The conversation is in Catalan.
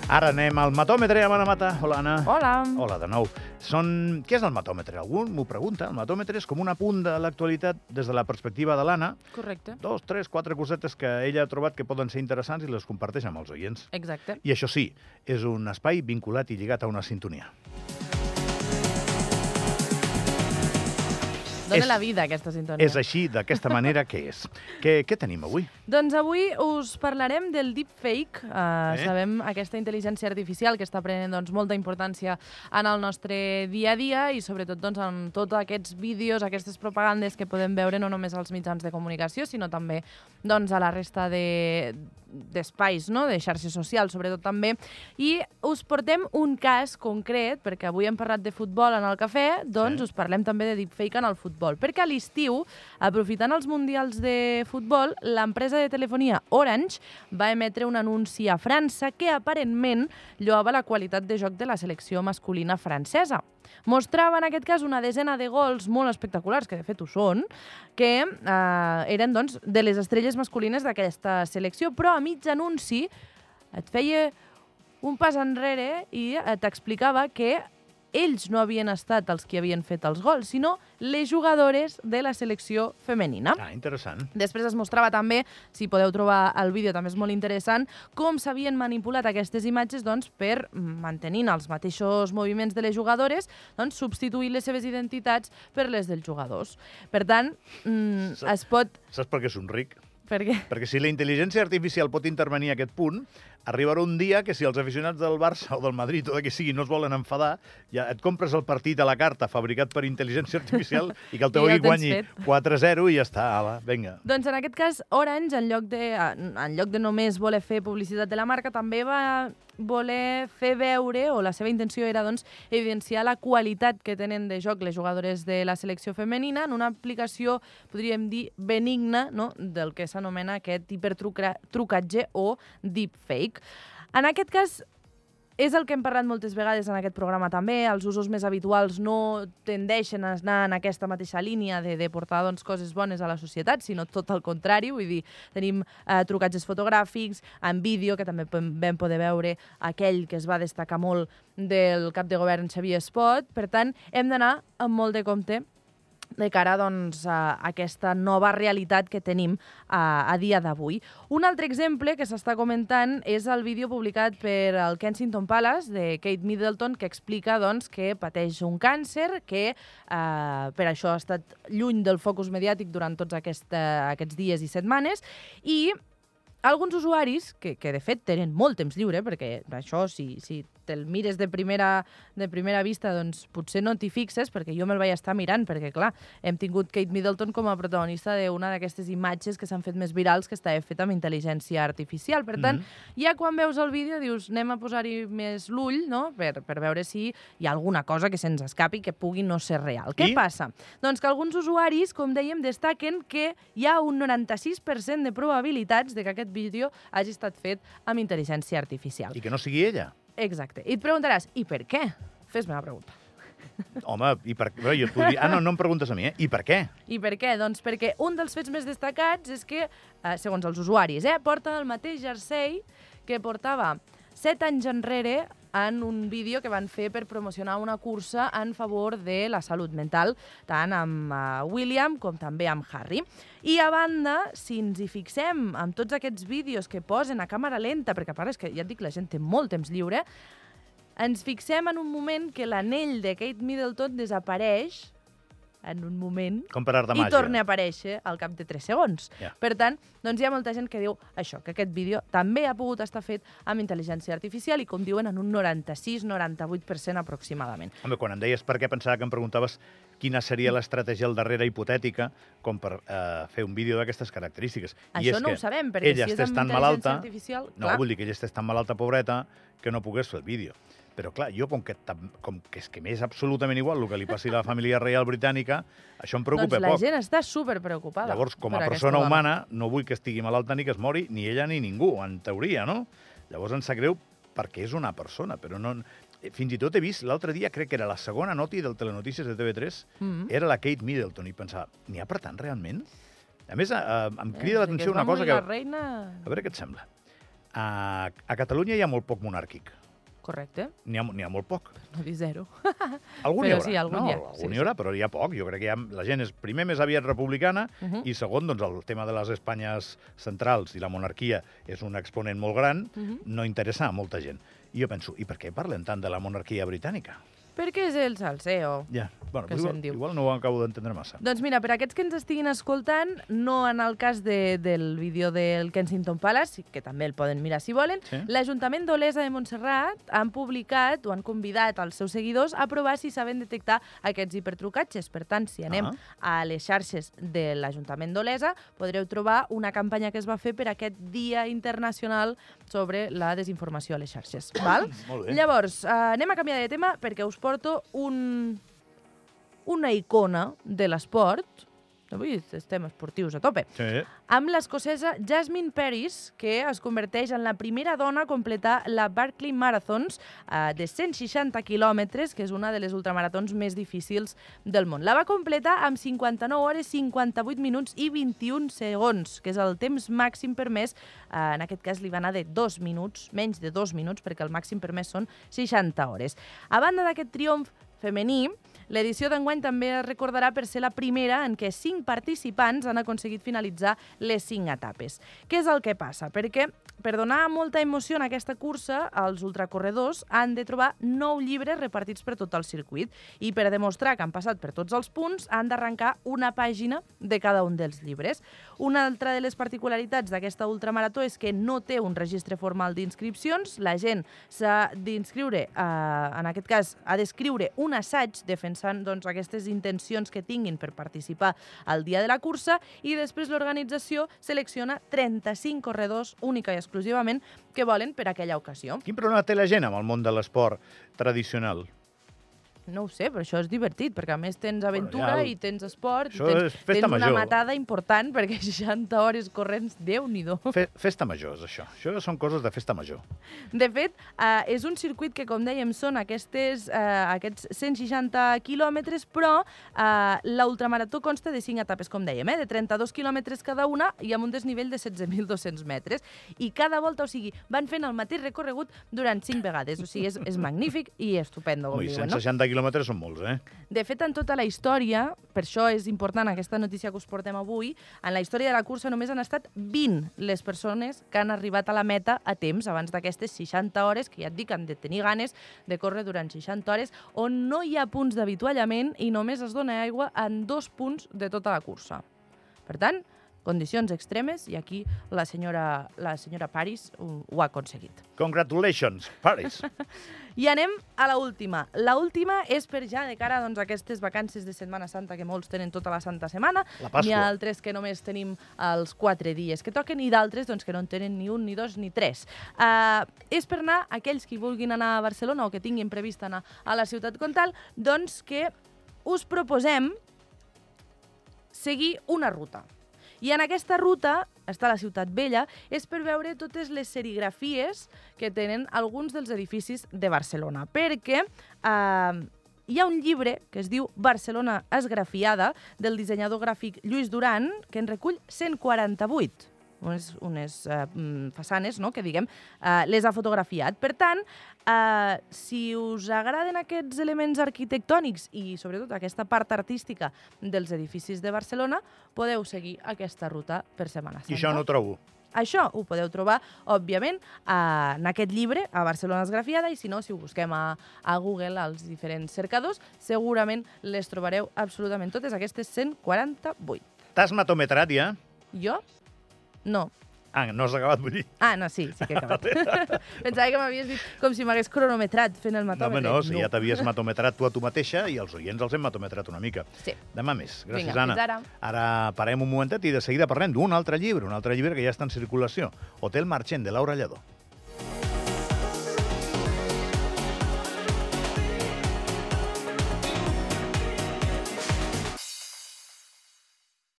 Ara anem al matòmetre amb Anna Mata. Hola, Anna. Hola. Hola de nou. Què és el matòmetre? Algú m'ho pregunta. El matòmetre és com un apunt de l'actualitat des de la perspectiva de l'Anna. Correcte. 2, 3, 4 cosetes que ella ha trobat que poden ser interessants i les comparteix amb els oients. Exacte. I això sí, és un espai vinculat i lligat a una sintonia. Dóna la vida, aquesta sintonia. És així, d'aquesta manera que és. Què tenim avui? Doncs avui us parlarem del deepfake. Sabem aquesta intel·ligència artificial que està prenent molta importància en el nostre dia a dia i sobretot en tots aquests vídeos, aquestes propagandes que podem veure no només als mitjans de comunicació, sinó també a la resta d'espais, de xarxes socials, sobretot també. I us portem un cas concret, perquè avui hem parlat de futbol en el cafè, us parlem també de deepfake en el futbol. Perquè a l'estiu, aprofitant els mundials de futbol, l'empresa de telefonia Orange va emetre un anunci a França que aparentment lloava la qualitat de joc de la selecció masculina francesa. Mostrava, en aquest cas, una desena de gols molt espectaculars, que de fet ho són, que eren de les estrelles masculines d'aquesta selecció, però a mig anunci et feia un pas enrere i t'explicava que ells no havien estat els que havien fet els gols, sinó les jugadores de la selecció femenina. Interessant. Després es mostrava també, si podeu trobar el vídeo, també és molt interessant, com s'havien manipulat aquestes imatges per, mantenint els mateixos moviments de les jugadores, substituir les seves identitats per les dels jugadors. Per tant, es pot... Saps per què somric? Per què? Perquè si la intel·ligència artificial pot intervenir a aquest punt, arribarà un dia que si els aficionats del Barça o del Madrid o de qui sigui no es volen enfadar, ja et compres el partit a la carta fabricat per intel·ligència artificial i que el teu equip guanyi 4-0 i ja està, ala, vinga. Doncs en aquest cas, Orange, en lloc de només voler fer publicitat de la marca, també va voler fer veure, o la seva intenció era evidenciar la qualitat que tenen de joc les jugadores de la selecció femenina en una aplicació, podríem dir, benigna, del que s'anomena aquest hipertrucatge o deepfake. En aquest cas, és el que hem parlat moltes vegades en aquest programa també, els usos més habituals no tendeixen a anar en aquesta mateixa línia de portar coses bones a la societat, sinó tot el contrari, vull dir, tenim trucatges fotogràfics, en vídeo, que també vam poder veure aquell que es va destacar molt del cap de govern Xavier Espot, per tant, hem d'anar amb molt de compte de cara a aquesta nova realitat que tenim a dia d'avui. Un altre exemple que s'està comentant és el vídeo publicat per el Kensington Palace de Kate Middleton, que explica que pateix un càncer, que per això ha estat lluny del focus mediàtic durant tots aquests dies i setmanes, i alguns usuaris, que de fet tenen molt temps lliure, perquè això, si te'l mires de primera vista, potser no t'hi fixes, perquè jo me'l vaig estar mirant, perquè, clar, hem tingut Kate Middleton com a protagonista d'una d'aquestes imatges que s'han fet més virals, que estava fet amb intel·ligència artificial. Per tant, ja quan veus el vídeo dius, anem a posar-hi més l'ull, per veure si hi ha alguna cosa que se'ns escapi que pugui no ser real. Què passa? Doncs que alguns usuaris, com dèiem, destaquen que hi ha un 96% de probabilitats de que aquest vídeo hagi estat fet amb intel·ligència artificial. I que no sigui ella. Exacte. I et preguntaràs, i per què? Fes-me la pregunta. Home, i per què? Jo et podria... no em preguntes a mi, I per què? I per què? Doncs perquè un dels fets més destacats és que, segons els usuaris, porta el mateix jersei que portava 7 anys enrere en un vídeo que van fer per promocionar una cursa en favor de la salut mental, tant amb William com també amb Harry. I a banda, si ens hi fixem amb tots aquests vídeos que posen a càmera lenta, perquè a part és que, ja et dic, la gent té molt temps lliure, ens fixem en un moment que l'anell de Kate Middleton desapareix en un moment i torna a aparèixer al cap de 3 segons. Per tant, hi ha molta gent que diu això, que aquest vídeo també ha pogut estar fet amb intel·ligència artificial i, com diuen, en un 96-98% aproximadament. Home, quan em deies per què, pensava que em preguntaves quina seria l'estratègia al darrere hipotètica com per fer un vídeo d'aquestes característiques. Això no ho sabem, perquè si és amb intel·ligència artificial... No, vull dir que ella estés tan malalta, pobreta, que no pogués fer el vídeo. Però, clar, jo, com que és que m'és absolutament igual el que li passi a la família reial britànica, això em preocupa poc. Doncs la gent està superpreocupada. Llavors, com a persona humana, no vull que estigui malalta ni que es mori, ni ella ni ningú, en teoria, no? Llavors em sap greu perquè és una persona, però no... Fins i tot he vist, l'altre dia, crec que era la segona noti del Telenotícies de TV3, era la Kate Middleton, i pensava, n'hi ha per tant, realment? A més, em crida l'atenció una cosa que... La reina... A veure què et sembla. A Catalunya hi ha molt poc monàrquic. Correcte. N'hi ha molt poc. No dir zero. Algun Però hi haurà, sí, algun no? hi ha. Algun Sí, hi haurà, però hi ha poc. Jo crec que la gent és, primer, més aviat republicana, i segon, doncs, el tema de les Espanyes centrals i la monarquia és un exponent molt gran, no interessa a molta gent. I jo penso, i per què parlem tant de la monarquia britànica? Perquè és el salseo. Ja, bueno, Que se'n diu. igual no ho acabo d'entendre massa. Doncs mira, per aquests que ens estiguin escoltant, no en el cas del vídeo del Kensington Palace, que també el poden mirar si volen, l'Ajuntament d'Olesa de Montserrat han publicat o han convidat als seus seguidors a provar si saben detectar aquests hipertrucatges. Per tant, si anem a les xarxes de l'Ajuntament d'Olesa, podreu trobar una campanya que es va fer per aquest Dia Internacional sobre la desinformació a les xarxes. Val? Molt bé. Llavors, anem a canviar de tema perquè us porto una icona de l'esport. Avui estem esportius a tope. Sí. Amb l'escocesa Jasmine Paris, que es converteix en la primera dona a completar la Barkley Marathons de 160 quilòmetres, que és una de les ultramaratons més difícils del món. La va completar amb 59 hores, 58 minuts i 21 segons, que és el temps màxim permès. En aquest cas li va anar de 2 minuts, menys de 2 minuts, perquè el màxim permès són 60 hores. A banda d'aquest triomf femení, l'edició d'enguany també es recordarà per ser la primera en què 5 participants han aconseguit finalitzar les 5 etapes. Què és el que passa? Perquè per donar molta emoció en aquesta cursa, els ultracorredors han de trobar 9 llibres repartits per tot el circuit i per demostrar que han passat per tots els punts han d'arrencar una pàgina de cada un dels llibres. Una altra de les particularitats d'aquesta ultramarató és que no té un registre formal d'inscripcions. La gent s'ha d'inscriure, en aquest cas, ha d'escriure un assaig defensant aquestes intencions que tinguin per participar al dia de la cursa i després l'organització selecciona 35 corredors única i exclusivament que volen per aquella ocasió. Quin problema té la gent amb el món de l'esport tradicional? No ho sé, però això és divertit, perquè a més tens aventura i tens esport, Això i és festa tens una major. matada important, perquè 60 hores corrents, Déu-n'hi-do. Festa major, és això. Això són coses de festa major. De fet, és un circuit que, com dèiem, són aquests 160 quilòmetres, però l'ultramarató consta de 5 etapes, com dèiem, de 32 quilòmetres cada una i amb un desnivell de 16.200 metres. I cada volta, o sigui, van fent el mateix recorregut durant 5 vegades. O sigui, és magnífic i estupendo, com diuen, no? 160 quilòmetres són molts, De fet, en tota la història, per això és important aquesta notícia que us portem avui, en la història de la cursa només han estat 20 les persones que han arribat a la meta a temps, abans d'aquestes 60 hores, que ja et dic, han de tenir ganes de córrer durant 60 hores, on no hi ha punts d'avituallament i només es dona aigua en 2 punts de tota la cursa. Per tant, condicions extremes, i aquí la senyora Paris ho ha aconseguit. Congratulations, Paris! I anem a l'última. L'última és per ja de cara a aquestes vacances de Setmana Santa, que molts tenen tota la Santa Setmana. La Pasqua. N'hi ha altres que només tenim els 4 dies que toquen i d'altres que no en tenen ni un, ni dos, ni tres. És per anar, aquells que vulguin anar a Barcelona o que tinguin previst anar a la ciutat comtal, doncs que us proposem seguir una ruta. I en aquesta ruta, està la Ciutat Vella, és per veure totes les serigrafies que tenen alguns dels edificis de Barcelona. Perquè hi ha un llibre que es diu Barcelona esgrafiada, del dissenyador gràfic Lluís Duran, que en recull 148. Unes façanes, no?, que diguem, les ha fotografiat. Per tant, si us agraden aquests elements arquitectònics i sobretot aquesta part artística dels edificis de Barcelona, podeu seguir aquesta ruta per Setmana Santa. I això no ho trobo. Això ho podeu trobar, òbviament, en aquest llibre, a Barcelona esgrafiada, i si no, si ho busquem a Google, als diferents cercadors, segurament les trobareu absolutament totes, aquestes 148. T'has matometrat ja? Jo? No. No has acabat, vull dir. No, sí que he acabat. Pensava que m'havies dit com si m'hagués cronometrat fent el matòmetre. No, si ja t'havies matometrat tu a tu mateixa i els oients els hem matometrat una mica. Sí. Demà més. Gràcies, Vinga, Anna. fins ara. Ara parem un momentet i de seguida parlem d'un altre llibre que ja està en circulació. Hotel Marchand, de Laura Lledó.